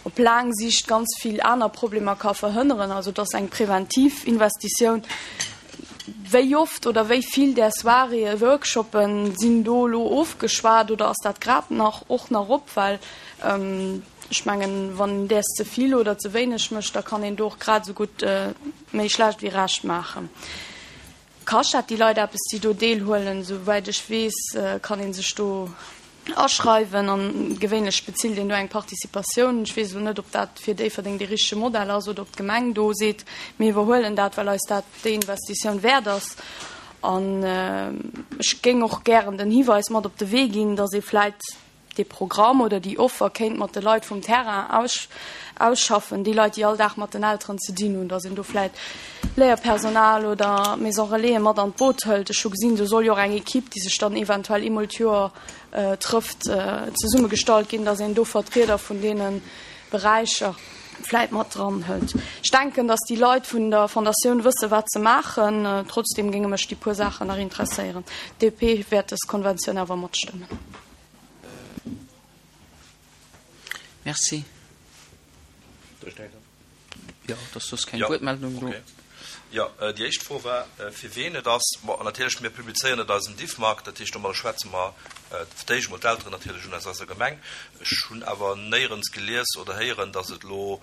op laang Siicht ganz vill aner Problemer ka verhënneren. Also et ass eng präventiv Investitioun. Wéi oft oder wéi vill där Soiréeë, Workshoppen sinn do elo ofgeschwat oder ass dat grad nach och nach op? Well ech mengen, wann een däers ze vill oder ze wéineg mécht, da kann een do och grad esou gutt méi schlecht wéi recht maachen. Kascht dat déi Leit eppes, déi do deelhuelen? Souwäit ech weess, kann ee sech do aschreiwen an gewéinlech bezilt een do eng Participatioun. Ech weess elo net, ob dat fir Déifferdeng dee richtege Modell ass oder ob d'Gemeng do seet, mir iwwerhuelen dat, well eis dat déi Investitioun wäert ass. An ech géing och gären den Hiweis mat op de Wee ginn, datt ee vläit dee Programm oder déi Offer kéint mat de Leit vum Terrain ausschaffen, déi Leit, déi all Dag mat den Elteren ze dinn hunn, datt een do vläit Léierpersonal oder Maison Relaisen mat an d'Boot hëlt. Ech hu gesinn, do soll jo och eng Equipe, déi sech dann eventuell eemol d'Joer trëfft, zesummegestallt ginn, datt een do Vertrieder vun deene Beräicher vläit mat dran hëlt. Ech denken, datt déi Leit vun der Fondatioun wësse wat se maachen. Trotzdeem géinge mech déi puer Saachen nach interesséieren. D'DP wäert dës Konventioun awer matstëmmen. Merci. Jo, et ass soss keng Wuertmeldung do. Jo, déi éischt Fro war, fir ween et ass. Bon, natierlech, mir publizéieren et eisem Diffmag, dat heescht, domadder schwätze mer fir d'éischt emol d'Elteren natierlech un aus eiser Gemeng. Ech hunn awer néierens gelies oder héieren, datt et elo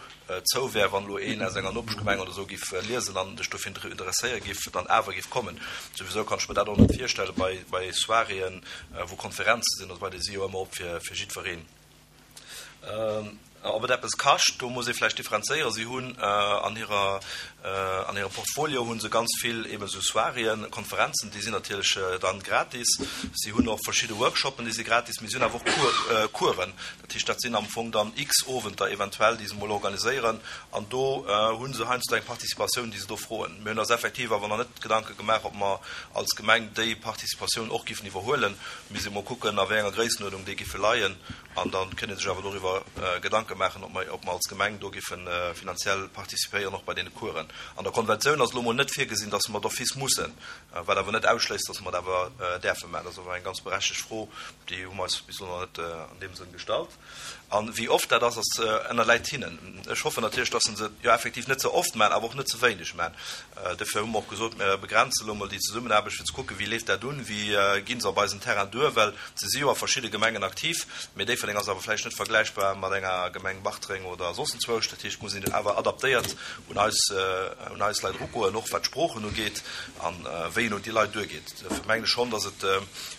zou wär, wann elo een aus enger Nopeschgemeng oder esou giff liesen an sech dofir interesséiere giff, dann awer giff kommen. Souwisou kann ech mer dat och net virstellen bei, bei Soiréeën, wou Konferenze sinn oder esou weider, déi si jo ëmmer op fir, fir jiddwereen. Ob et eppes kascht, do muss ee vläicht differenzéieren. Si hunn an hirer, an hirem Portfolio hu se ganz vill eeben esou Soiréeën, Konferenzen, déi sinn natierlech dann gratis. Si hunn och verschidde Workshoppen, déi si gratis, mee si hunn awer och Coursen. Dat heescht, dat sinn am Fong dann x Owenter eventuell, déi se emol organiséieren, an do hu se heiansdo eng Participatioun, déi se do froen. Mir hunn eis effektiv awer nach net Gedanke gemaach, ob mer als Gemeng déi Participatioun och giffen iwwerhuelen. Mir si mol kucken, a wéi enger Gréissenuerdnung déi giffe leien, an da kënnt ee sech awer doriwwer Gedanke maachen, ob mer, ob mer als Gemeng do giffe finanziell participéieren, och bei deene Coursen. An der Konventioun ass elo mol net virgesinn, dass mer d'office mussen, wat awer net ausschléisst, dass mer et awer däerfe maachen. Dat ass awer eng ganz berechtegt Fro. Déi hu mer eis bis elo nach net an deem Sënn gestallt. A wéi oft dat ass, ass ënnerläit hinnen. Ech hoffen natierlech, dass se se jo effektiv net ze oft maachen, awer och net ze wéineg maachen. Dofir hu mer och gesot, mir begrenzen elo emol déi Zesummenaarbecht, fir ze kucken, wéi leeft dat un, wéi gi se op eisem Terrain duer, well se si jo a verschidde Gemengen aktiv, mee Déifferdeng ass awer vläicht net vergläichbar mat enger Gemeng Bartreng oder soss enzwousch. Dat heescht, et muss een awer adaptéiert un eis, un eis Leit erugoen, och wat d'Sproochen ugeet a wéi een un déi Leit duergeet. Dofir mengen ech schonn, dass et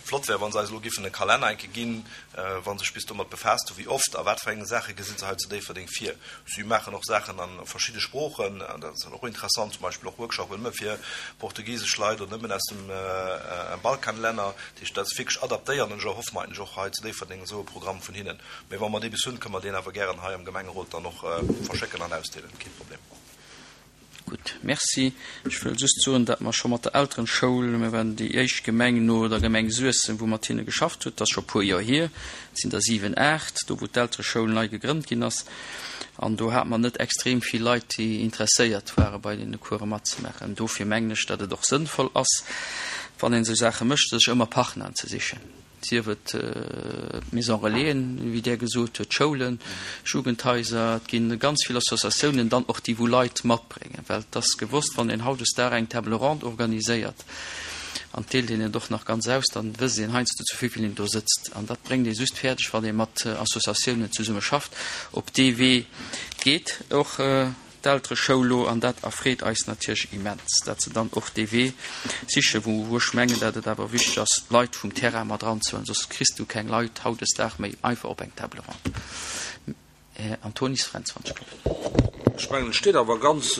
flott wär, wa se eis elo giffen e Kalenner enke ginn, wa se sech bis domat befaasst hunn, wéi oft a wat fir eng Saache gesi se hei zu Déifferdeng vir. Si maachen och Saachen a verschidde Sproochen, dat ass dann och interessant, zum Beispill och Workshopen nëmme fir portugisesch Leit oder nëmmen aus dem Balkanlänner. Dat heescht, dat ass wierklech adaptéiert an ech erhoffe mer eigentlech och hei zu Déifferdeng esou e Programm vun hinnen. Mee wa mer dee bis hunn, kënne mer deen awer gären hei am Gemengerot dann och verschécken an ausdeelen, kee Problem. Gutt, Merci. Ech wëll just soen, datt mer scho mat der Elterenschoul, mir waren déi éischt Gemeng no der Gemeng Suessem, wou mat hinne geschafft huet, dat ass scho e puer Joer hier, et sinn der siwen, aacht, do wou d'Eltereschoul nei gegrënnt ginn ass, an do hate mer net extrem vill Leit, déi interesséiert ware bei deene Course matzemaachen. Dofir mengen ech, datt et och sënnvoll ass, wann een esou Saache mécht, sech ëmmer Partneren ze sichen. Sief et d'Maison Relaisen, wéi Der gesot hutt, d'Schoulen, Jugendhaiser, et gi ganz vill Associatiounen dann och, déi wou Leit matbréngen. Well et ass gewosst, wann een hautdesdaags eng Table ronde organiséiert an et deelt een et och nach ganz aus, dann wësst een heiansdo zu wéi vill een do sëtzt. An dat bréngt ee just fäerdeg, wann ee mat Associatiounen zesumme schafft. Op dee Wee geet och. d'Eltereschoul elo, an dat erfreet eis natierlech immens, dat se dann och dee Wee sichen, wou ech mengen, dat et awer wichteg ass, d'Leit vum Terrain mat eranzehuelen, soss kriss du keng Leit hautdesdaags méi einfach op eng Table ronde. Här Antonis Fränz, wann ech gelift. Ech mengen, et steet awer ganz,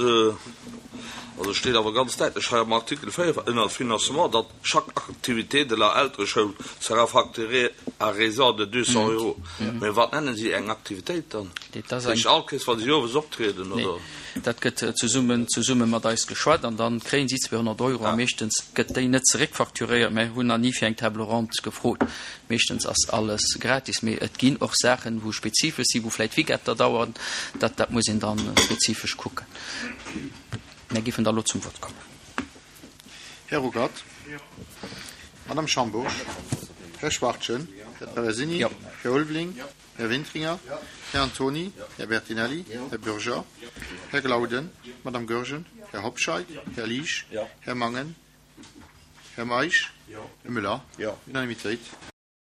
also et steet awer ganz däitlech hei am Artikel 4 ënner Financement, datt chaque activité de la Eltereschoul sera facturée à raison de 200 euros. Mä wat nennen si eng Aktivitéit dann? Dat heescht all Kéiers, wa si owes optrieden, oder? Nee, dat gëtt zesummen, zesumme mat eis geschwat an dann kréien si 200 Euro a meeschtens gëtt déi net zeréckfacturéiert. Mä hunn nach ni fir eng Table ronde gefrot. Meeschtens ass alles gratis, mee et ginn och Saachen, wou spezifesch sinn, wou vläicht Weekender dauern. Dat, dat muss een dann spezifesch kucken. Mär géifen da lo zum Vott kommen. Här Ruckert. Madame Schambourg. Här Schwachtgen. Här Traversini. Här Ulveling. Här Wintringer. Här Antoni. Här Bertinelli. Här Bürger. Här Glauden. Madame Goergen. Här Hobscheit. Här Liesch. Här Mangen. Här Meisch. Här Müller. Unanimitéit.